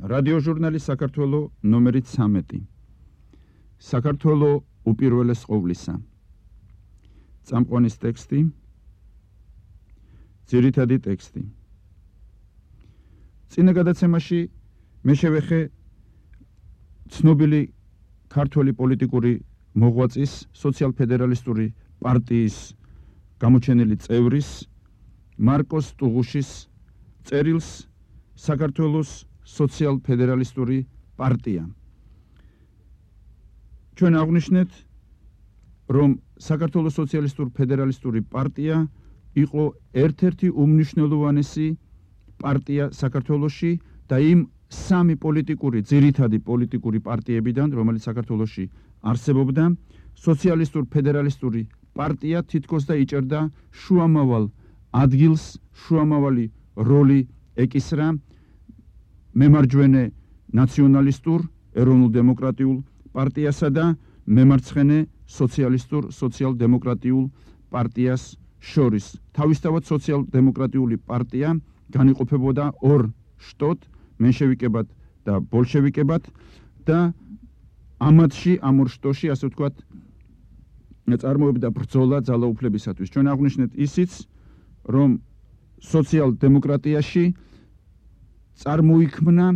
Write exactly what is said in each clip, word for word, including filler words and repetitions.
რადიოჟურნალი საქართველო ნომერი ცამეტი. საქართველო უპირველეს ყოვლისა. წამყვანის ტექსტი. ძირითადი ტექსტი. წინა გადაცემაში მე შევეხე ცნობილი ქართველი პოლიტიკური მოღვაწის სოციალ-ფედერალისტური პარტიის გამოჩენილი წევრის მარკოს ტუღუშის წერილს საქართველოს სოციალ-ფედერალისტური პარტია. ჩვენ აღვნიშნეთ, რომ საქართველოს სოციალისტურ-ფედერალისტური პარტია იყო ერთ-ერთი უმნიშვნელოვანესი პარტია საქართველოში და იმ სამი პოლიტიკური, ძირითადი პოლიტიკური პარტიებიდან, რომელიც საქართველოში არსებობდა, სოციალისტურ-ფედერალისტური პარტია თითქოს და იჭერდა შუამავალ ადგილს, შუამავალი როლი ეკისრა მემარჯვენე ნაციონალისტურ, ეროვნულ-დემოკრატიულ პარტიასა და მემარცხენე სოციალისტურ, სოციალ-დემოკრატიულ პარტიას შორის. თავისთავად სოციალ-დემოკრატიული პარტია განიყოფებოდა ორ შტოდ, მენშევიკებად და ბოლშევიკებად და ამათში, ამ ორ შტოში, ასე ვთქვათ, წარმოებდა ბრძოლა ძალაუფლებისათვის. ჩვენ აღვნიშნეთ ისიც, რომ სოციალ-დემოკრატიაში წარმოიქმნა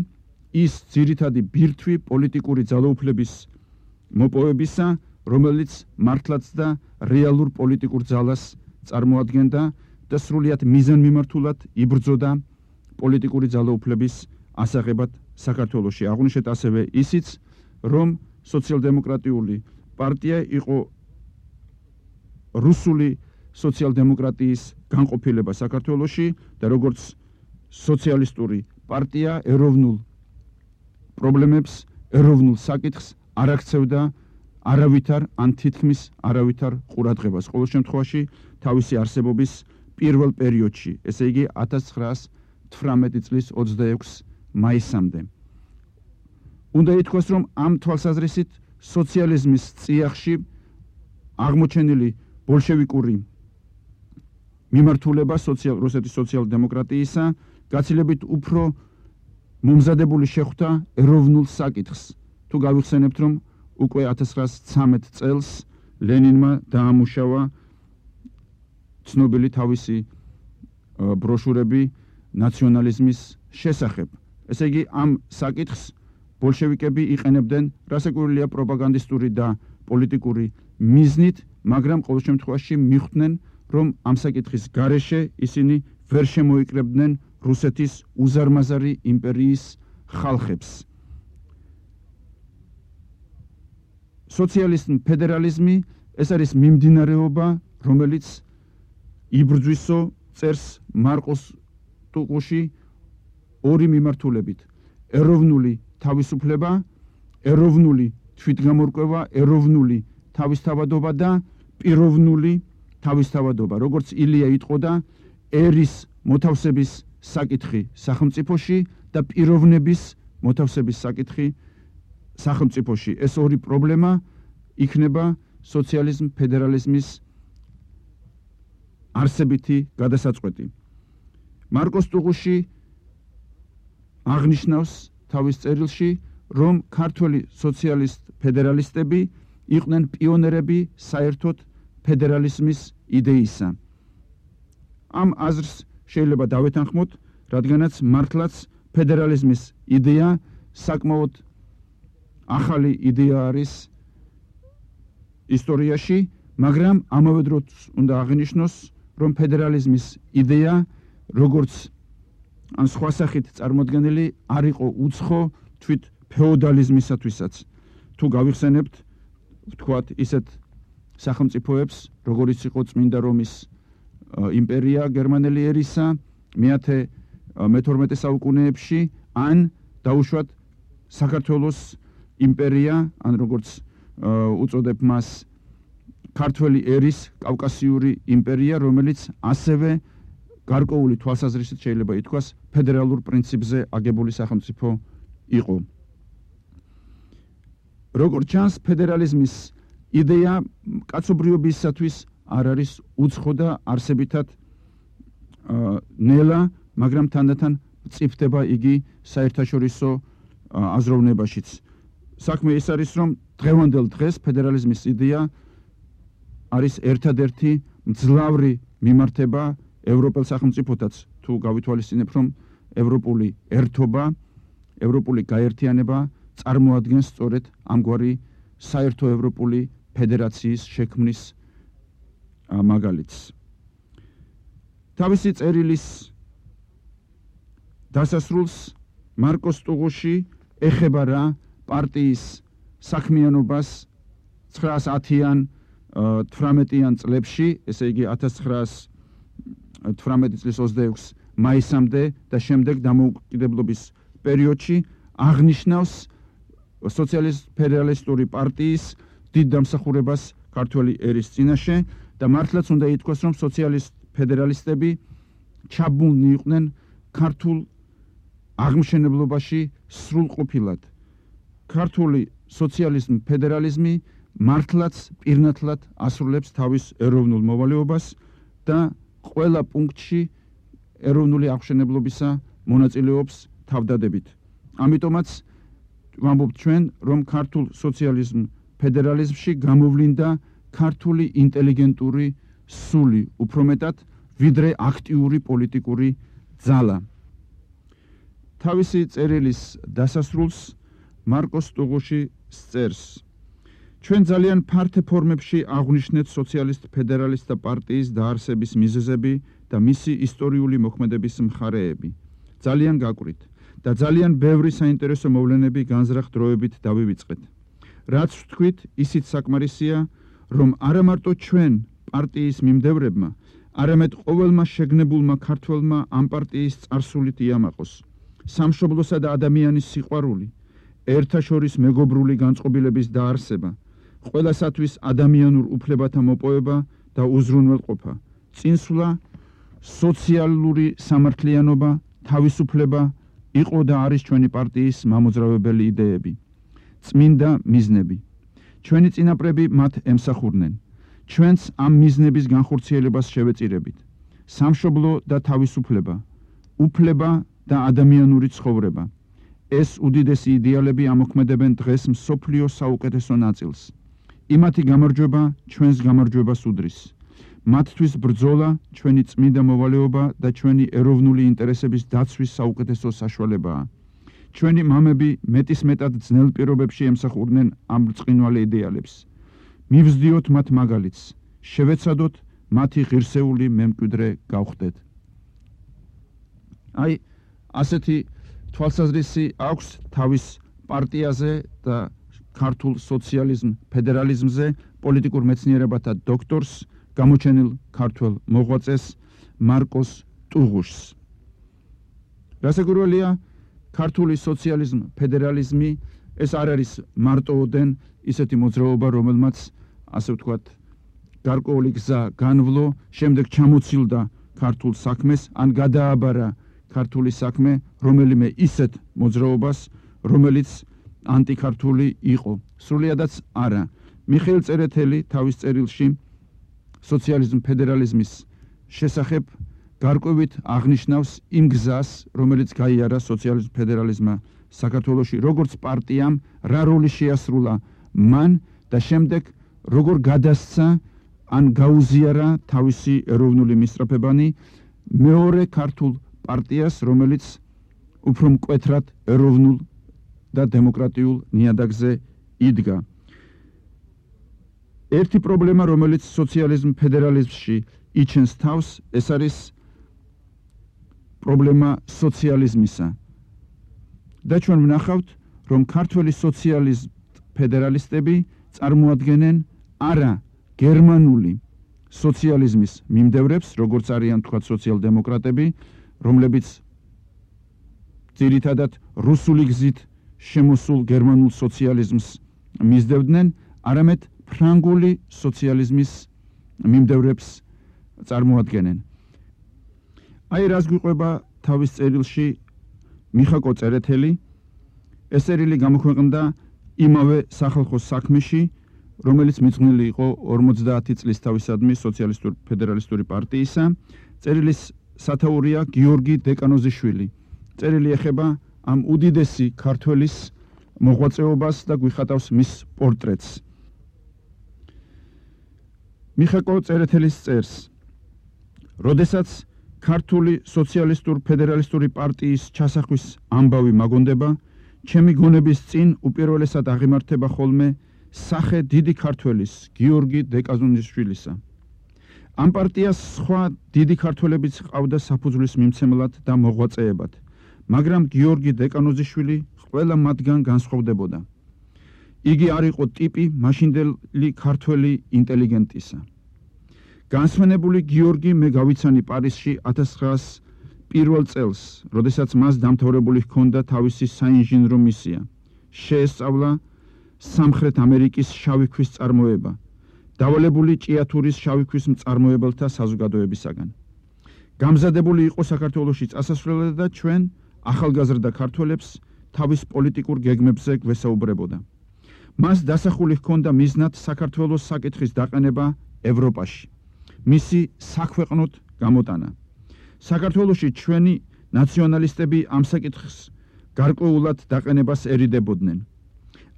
ის ძირითადი ბირთვი პოლიტიკური ძალაუფლების მოპოვებისა, რომელიც მართლაც და რეალურ პოლიტიკურ ძალას წარმოადგენდა და სრულიად მიზანმიმართულად იბრძოდა პოლიტიკური ძალაუფლების ასაღებად საქართველოში. აღვნიშნეთ ასევე ისიც, რომ სოციალ-დემოკრატიული პარტია იყო რუსული სოციალ-დემოკრატიის განყოფილება საქართველოში და როგორც სოციალისტური პარტია ეროვნულ პრობლემებს, ეროვნულ საკითხს არ აქცევდა არავითარ ან თითქმის არავითარ ყურადღებას. ყოველ შემთხვევაში თავისი არსებობის პირველ პერიოდში, ესე იგი ათას ცხრაას თვრამეტი წლის ოცდაექვსი მაისამდე. უნდა ითქვას, რომ ამ თვალსაზრისით სოციალიზმის წიაღში აღმოჩენილი ბოლშევიკური მიმართულება სოციალ რუსეთის სოციალ-დემოკრატიისა გაცილებით უფრო მომზადებული შეხვდა ეროვნულ საკითხს. თუ გავიხსენებთ, რომ უკვე ათას ცხრაას ცამეტ წელს ლენინმა დაამუშავა ცნობილი თავისი ბროშურები ნაციონალიზმის შესახებ. ესე იგი, ამ საკითხს ბოლშევიკები იყენებდნენ რასაკვირველია პროპაგანდისტური და პოლიტიკური მიზნით, მაგრამ ყოველ შემთხვევაში მიხვდნენ, რომ ამ საკითხის გარეშე ისინი ვერ შემოიკრებდნენ რუსეთის უზარმაზარი იმპერიის ხალხებს. სოციალიზმი, ფედერალიზმი ეს არის მიმდინარეობა, რომელიც იბრძვისო წერს მარკოს ტუღუში ორი მიმართულებით. ეროვნული თავისუფლება, ეროვნული თვითგამორკვევა, ეროვნული თავისთავადობა და პიროვნული თავისთავადობა. როგორც ილია იტყოდა, ერის მოთავსების საკითხი სახელმწიფოში და პიროვნების მოთავსების საკითხი სახელმწიფოში. ეს ორი პრობლემა იქნება სოციალიზმ ფედერალიზმის არსებითი გადასაწყვეტი. მარკოს ტუღუში აღნიშნავს თავის წერილში, რომ ქართველი სოციალისტ ფედერალისტები იყვნენ პიონერები საერთოდ ფედერალიზმის იდეისა. ამ აზრს შეიძლება დავეთანხმოთ, რადგანაც მართლაც ფედერალიზმის იდეა საკმაოდ ახალი იდეა არის ისტორიაში, მაგრამ ამავე დროს უნდა აღინიშნოს, რომ ფედერალიზმის იდეა, როგორც ან სხვა სახით წარმოდგენილი, არ იყო უცხო თვით ფეოდალიზმისათვისაც. თუ გავიხსენებთ, ვთქვათ, ისეთ სახელმწიფოებს, როგორიც იყო წმინდა რომის იმპერია გერმანელი ერისა მეათე მეთორმეტე საუკუნეებში, ან დაუშვათ საქართველოს იმპერია, ან როგორც უწოდებ მას ქართველი ერის კავკასიური იმპერია, რომელიც ასევე გარკვეული თვალსაზრისით შეიძლება ითქვას ფედერალურ პრინციპზე აგებული სახელმწიფო იყო. როგორც ჩანს, ფედერალიზმის იდეა კაცობრიობისათვის არ არის უცხო და არსებითად ნელა, მაგრამ თანდათან მწიფდება იგი საერთაშორისო აზროვნებაშიც. საქმე ის არის, რომ დღევანდელ დღეს ფედერალიზმის იდეა არის ერთადერთი მძლავრი მიმართება ევროპელ სახელმწიფოთაც თუ გავითვალისწინებ, რომ ევროპული ერთობა, ევროპული გაერთიანება წარმოადგენს სწორედ ამგვარი საერთო ევროპული ფედერაციის შექმნის მაგალითს. თავისი წერილის დასასრულს მარკოს ტუღუში ეხება რა პარტიის საქმიანობას ცხრაას ათიან თვრამეტიან წლებში, ესე იგი ათას ცხრაას თვრამეტი წლის ოცდაექვსი მაისამდე და შემდეგ დამოუკიდებლობის პერიოდში აღნიშნავს სოციალისტ ფედერალისტური პარტიის დიდ დამსახურებას ქართველი ერის წინაშე და მართლაც უნდა ითქვას, რომ სოციალისტ ფედერალისტები ჩაბმულნი იყვნენ ქართულ აღმშენებლობაში სრულყოფილად. ქართული სოციალიზმ ფედერალიზმი მართლაც პირნათლად ასრულებს თავის ეროვნულ მოვალეობას და ყველა პუნქტში ეროვნული აღმშენებლობისა მონაწილეობს თავდადებით. ამიტომაც ვამბობთ ჩვენ, რომ ქართულ სოციალიზმ ფედერალიზმში გამოვლინდა ქართული ინტელიგენტური სული, უფრო მეტად ვიდრე აქტიური პოლიტიკური ძალა. თავისი წერილის დასასრულს მარკოს ტუღუში წერს: ჩვენ ძალიან ფართე ფორმებში აღვნიშნეთ სოციალისტ ფედერალისტთა პარტიის დაარსების მიზეზები და მისი ისტორიული მოქმედების მხარეები. ძალიან გაკვირით და ძალიან ბევრი საინტერესო მოვლენები განზრახ დროებით დავივიწყეთ. რაც ვთქვით, ისიც საკმარისია, რომ არა მარტო ჩვენ პარტიის მიმდევრებმა, არამედ ყოველმა შეგნებულმა ქართველმა ამ პარტიის წარსულით იამაყოს სამშობლოსა და ადამიანის სიყვარული, ერთაშორის მეგობრული განწყობილების დაარსება, ყველასათვის ადამიანურ უფლებათა მოპოვება და უზრუნველყოფა, წინსვლა, სოციალური სამართლიანობა, თავისუფლება იყო და არის ჩვენი პარტიის მამოძრავებელი იდეები, წმინდა მიზნები. ჩვენი წინაპრები მათ ემსახურნენ. ჩვენც ამ მიზნების განხორციელებას შევეწირებით. სამშობლო და თავისუფლება, უფლება და ადამიანური ცხოვრება. ეს უდიდესი იდეალები ამოქმედებენ დღეს მსოფლიოს საუკეთესო ნაწილს. იმათი გამარჯვება ჩვენს გამარჯვებას უდრის. მათთვის ბრძოლა ჩვენი წმინდა მოვალეობა და ჩვენი ეროვნული ინტერესების დაცვის საუკეთესო საშუალებაა. ჩვენი მამები მეტისმეტად ძნელ პირობებში ემსახურნენ ამ ბრწყინვალე იდეალებს. მივსდიოთ მათ მაგალითს, შევეცადოთ მათი ღირსეული მემკვიდრე გავხდეთ. აი, ასეთი თვალსაზრისი აქვს თავის პარტიაზე და ქართულ სოციალიზმ ფედერალიზმზე პოლიტიკურ მეცნიერებათა დოქტორს, გამოჩენილ ქართველ მოღვაწეს მარკოს ტუღუშს. რასაკვირველია, ქართული სოციალიზმ ფედერალიზმი ეს არ არის მარტოოდენ ისეთი მოძრაობა, რომელმაც ასე ვთქვათ, გარკვეული გზა განვლო, შემდეგ ჩამოცილდა ქართულ საქმეს, ან გადააბარა ქართული საქმე რომელიმე ისეთ მოძრაობას, რომელიც ანტიქართული იყო. სრულიადაც არა. მიხეილ წერეთელი თავის წერილში სოციალიზმ ფედერალიზმის შესახებ გარკვევით აღნიშნავს იმ გზას, რომელიც გაიარა სოციალიზმ ფედერალიზმმა საქართველოში, როგორც პარტიამ რა როლი შეასრულა მან და შემდეგ როგორ გადასცა ან გაუზიარა თავისი ეროვნული მისწრაფებანი მეორე ქართულ პარტიას, რომელიც უფრო მკვეთრად ეროვნულ და დემოკრატიულ ნიადაგზე იდგა. ერთი პრობლემა, რომელიც სოციალიზმ ფედერალიზმში იჩენს თავს, ეს არის პრობლემა სოციალიზმისა. და ჩვენ ვნახავთ, რომ ქართველი სოციალიზმ ფედერალისტები წარმოადგენენ არა გერმანული სოციალიზმის მიმდევრებს, როგორც არიან თქვა სოციალ-დემოკრატები, რომლებიც ძირითადად რუსული გზით შემოსულ გერმანულ სოციალიზმს მისდევდნენ, არამედ ფრანგული სოციალიზმის მიმდევრებს წარმოადგენენ. აი რას გვიყვება თავის წერილში მიხაკო წერეთელი. ეს წერილი გამოქვეყნდა იმავე სახალხო საქმეში, რომელიც მიძღვნილი იყო ორმოცდაათი წლის თავისადმი სოციალისტური ფედერალისტური პარტიისა. წერილის სათაურია გიორგი დეკანოზიშვილი. წერილი ეხება ამ უდიდესი ქართველის მოღვაწეობას და გვიხატავს მის პორტრეტს. მიხაკო წერეთელის წერს. როდესაც ქართული სოციალისტურ ფედერალისტური პარტიის ჩასახვის ამბავი მაგონდება, ჩემი გონების წინ უპირველესად აღიმართება ხოლმე სახე დიდი ქართველის გიორგი დეკაზონისშვილისა. ამ პარტიას სხვა დიდი ქართველებიც ჰყავდა საფუძვლის მიმცემლად და მოღვაწეებად, მაგრამ გიორგი დეკანოზიშვილი ყველა მათგან განსხვავდებოდა. იგი არ იყო ტიპი მაშინდელი ქართველი ინტელიგენტისა. განსვენებული გიორგი მე გავიცანი პარიზში ათას ცხრაას პირველ წელს, როდესაც მას დამთავრებული ჰქონდა თავისი საინჟინრო მისია. შეესწავლა სამხრეთ ამერიკის შავი ქვის წარმოება, დავალებული ჭიათურის შავი ქვის მწარმოებელთა საზოგადოებისაგან. გამზადებული იყო საქართველოში წასასვლელად და ჩვენ ახალგაზრდა ქართველებს თავის პოლიტიკურ გეგმებზე გვესაუბრებოდა. მას დასახული ჰქონდა მიზნად საქართველოს საკითხის დაყენება ევროპაში, მისი საქვეყნოდ გამოტანა. საქართველოში ჩვენი ნაციონალისტები ამ საკითხს გარკვეულად დაყენებას ერიდებოდნენ.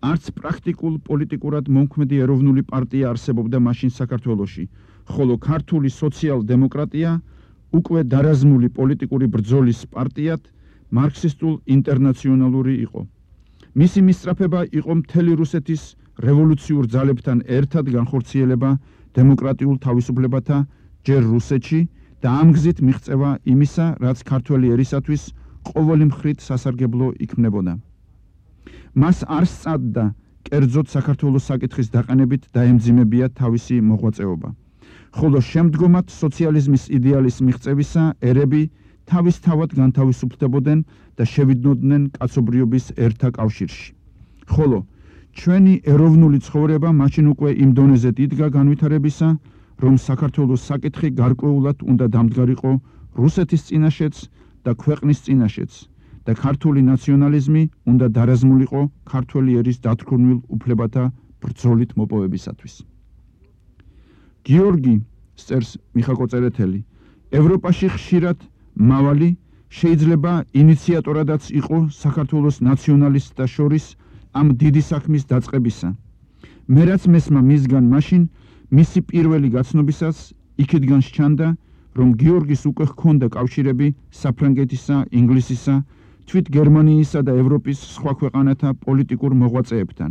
არც პრაქტიკულ პოლიტიკურად მომქმედი ეროვნული პარტია არსებობდა მაშინ საქართველოში, ხოლო ქართული სოციალ-დემოკრატია უკვე დარაზმული პოლიტიკური ბრძოლის პარტიად მარქსისტულ ინტერნაციონალური იყო. მისი მისწრაფება იყო მთელი რუსეთის რევოლუციურ ძალებთან ერთად განხორციელება დემოკრატიულ თავისუფლებათა ჯერ რუსეთში და ამ გზით მიღწევა იმისა, რაც ქართველი ერისათვის ყოველი მხრით სასარგებლო იქმნებოდა. მას არ სწადდა კერძოდ საქართველოს საკითხის დაყენებით დაემძიმებია თავისი მოღვაწეობა. ხოლო შემდგომად სოციალიზმის იდეალის მიღწევისა ერები თავისთავად განთავისუფლდებოდნენ და შევიდნოდნენ კაცობრიობის ერთა კავშირში. ხოლო ჩვენი ეროვნული ცხოვრება მაშინ უკვე იმ დონეზე დიდგა განვითარებისა, რომ საქართველოს საკითხი გარკვეულად უნდა დამდგარიყო რუსეთის წინაშეც და ქვეყნის წინაშეც და ქართული ნაციონალიზმი უნდა დარაზმულიყო ქართველი ერის დათქმულ უფლებათა ბრძოლით მოპოვებისათვის. გიორგი, წერს მიხაკო წერეთელი, ევროპაში ხშირად მავალი, შეიძლება ინიციატორადაც იყო საქართველოს ნაციონალისტთა შორის ამ დიდი საქმის დაწყებისა. მე რაც მესმა მისგან მაშინ მისი პირველი გაცნობისას იქითგან სჩანდა, რომ გიორგის უკვე ჰქონდა კავშირები საფრანგეთისა, ინგლისისა, თვით გერმანიისა და ევროპის სხვა ქვეყანათა პოლიტიკურ მოღვაწეებთან.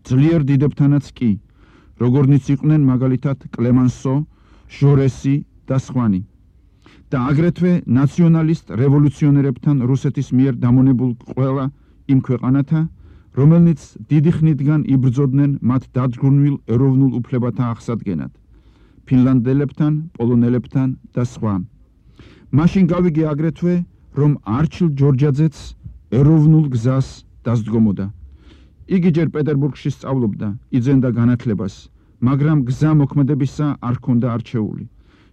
ძლიერ დიდებთანაც კი, როგორნიც იყვნენ მაგალითად კლემანსო, ჟორესი და სხვანი. და აგრეთვე ნაციონალისტ რევოლუციონერებთან რუსეთის მიერ დამონებულ ყველა იმ ქვეყანათა, რომელნიც დიდი ხნიდან იბრძოდნენ მათ დადგმულ ეროვნულ უფლებათა აღსადგენად, ფინლანდელებთან, პოლონელებთან და სხვა. მაშინ გავიგე აგრეთვე, რომ არჩილ ჯორჯაძეც ეროვნულ გზას დასდგომოდა. იგი ჯერ პეტერბურგში სწავლობდა, იძენდა განათლებას, მაგრამ გზა მოქმედებისა არ ჰქონდა არჩეული.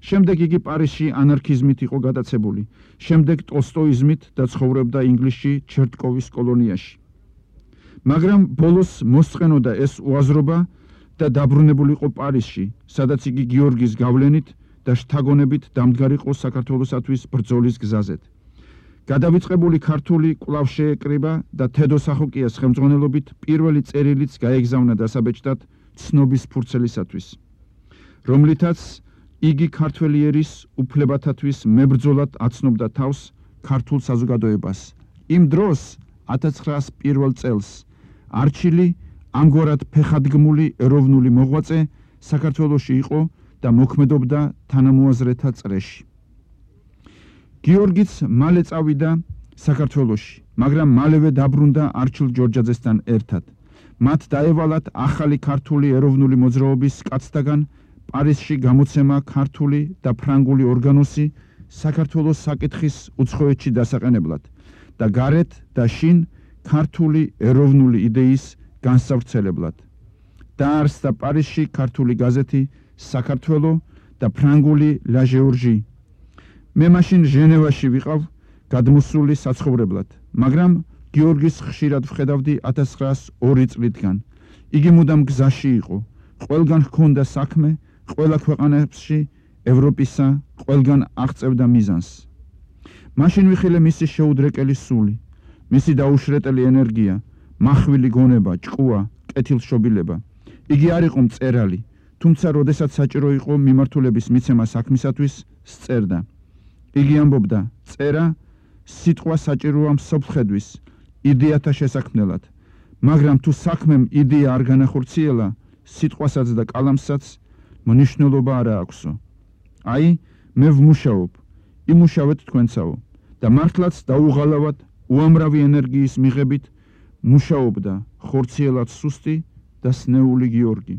შემდეგ იგი პარიზში ანარქიზმით იყო გადაცებული, შემდეგ ტოლსტოიზმით და ცხოვრობდა ინგლისში ჩერტკოვის კოლონიაში. მაგრამ ბოლოს მოსწყენოდა ეს უაზრობა და დაბრუნებულიყო პარიზში, სადაც იგი გიორგის გავლენით და შთაგონებით დამდგარიყო საქართველოსათვის ბრძოლის გზაზეთ. გადავიწყებული ქართული კვლავ შეეკრიბა და თედო სახოკიას ხელმძღვანელობით პირველი წერილიც გაეგზავნა დასაბეჭდად ცნობის ფურცელისათვის, რომლითაც იგი ქართველი ერის უფლებათათვის მებრძოლად აცნობდა თავს ქართულ საზოგადოებას. იმ დროს ათას ცხრაას პირველ წელს არჩილი ამგვარად ფეხადგმული ეროვნული მოღვაწე საქართველოში იყო და მოქმედობდა თანამოაზრეთა წრეში. გიორგიც მალე წავიდა საქართველოში, მაგრამ მალევე დაბრუნდა არჩილ ჯორჯაძესთან ერთად. მათ დაევალათ ახალი ქართული ეროვნული მოძრაობის კაცთაგან პარიზში გამოცემა ქართული და ფრანგული ორგანოსი საქართველოს საკითხის უცხოეთში დასაყენებლად და გარეთ და შინ ქართული ეროვნული იდეის განსავრცელებლად. დაარსდა პარიზში ქართული გაზეთი საქართველო და ფრანგული ლა ჟეორჟი. მე მაშინ ჟენევაში ვიყავ გადმოსული საცხოვრებლად, მაგრამ გიორგის ხშირად ვხედავდი ათას ცხრაას ორი წლიდან. იგი მუდამ გზაში იყო, ყველგან ჰქონდა საქმე, ყველა ქვეყანაში ევროპისა, ყველგან აღწევდა მიზანს. მაშინ ვიხილე მისი შეუდრეკელი სული, მისი დაუშრეტელი ენერგია, מחვილი გონება, ჭკუა, კეთილშობილება. იგი არ იყო მწერალი, თუმცა როდესაც საჭირო იყო მიმართულების მიცემა საქმისათვის, სწერდა. იგი ამბობდა, წერა სიტყვა საჭიროა მსოფლხედვის, იდეათა შესაქმნელად, მაგრამ თუ საქმემ იდეა არ განახორციელა, სიტყვასაც და კალამსაც მნიშვნელობა არ აქვსო. აი, მე ვმუშაობ, იმუშავეთ თქვენცაო და მართლაც დაუღალავად უამრავი ენერგიის მიღებით მუშაობდა ხორციელად სუსტი და სნეული გიორგი.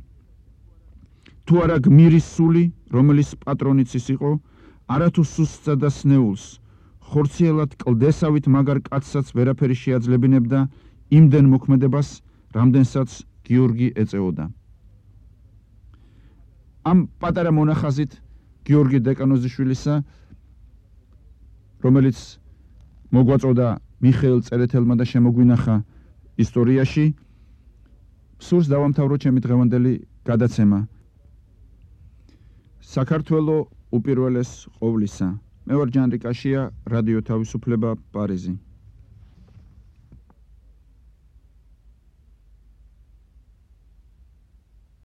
თუ არა გმირის სული, რომელიც პატრონიცის იყო, არათუ სუსტსა და სნეულს, ხორციელად კლდესავით მაგარ კაცსაც ვერაფერი შეაძლებინებდა იმდენ მოქმედებას, რამდენსაც გიორგი ეწეოდა. ამ პატარა მონახაზით გიორგი დეკანოზიშვილისა, რომელიც მოგვაწოდა მიხეილ წერეთელმა და შემოგვინახა ისტორიაში, სურს დავამთავრო ჩემი დღევანდელი გადაცემა. საქართველო უპირველეს ყოვლისა. მე ვარ ჯანრი კაშია, რადიო თავისუფლება, პარიზი.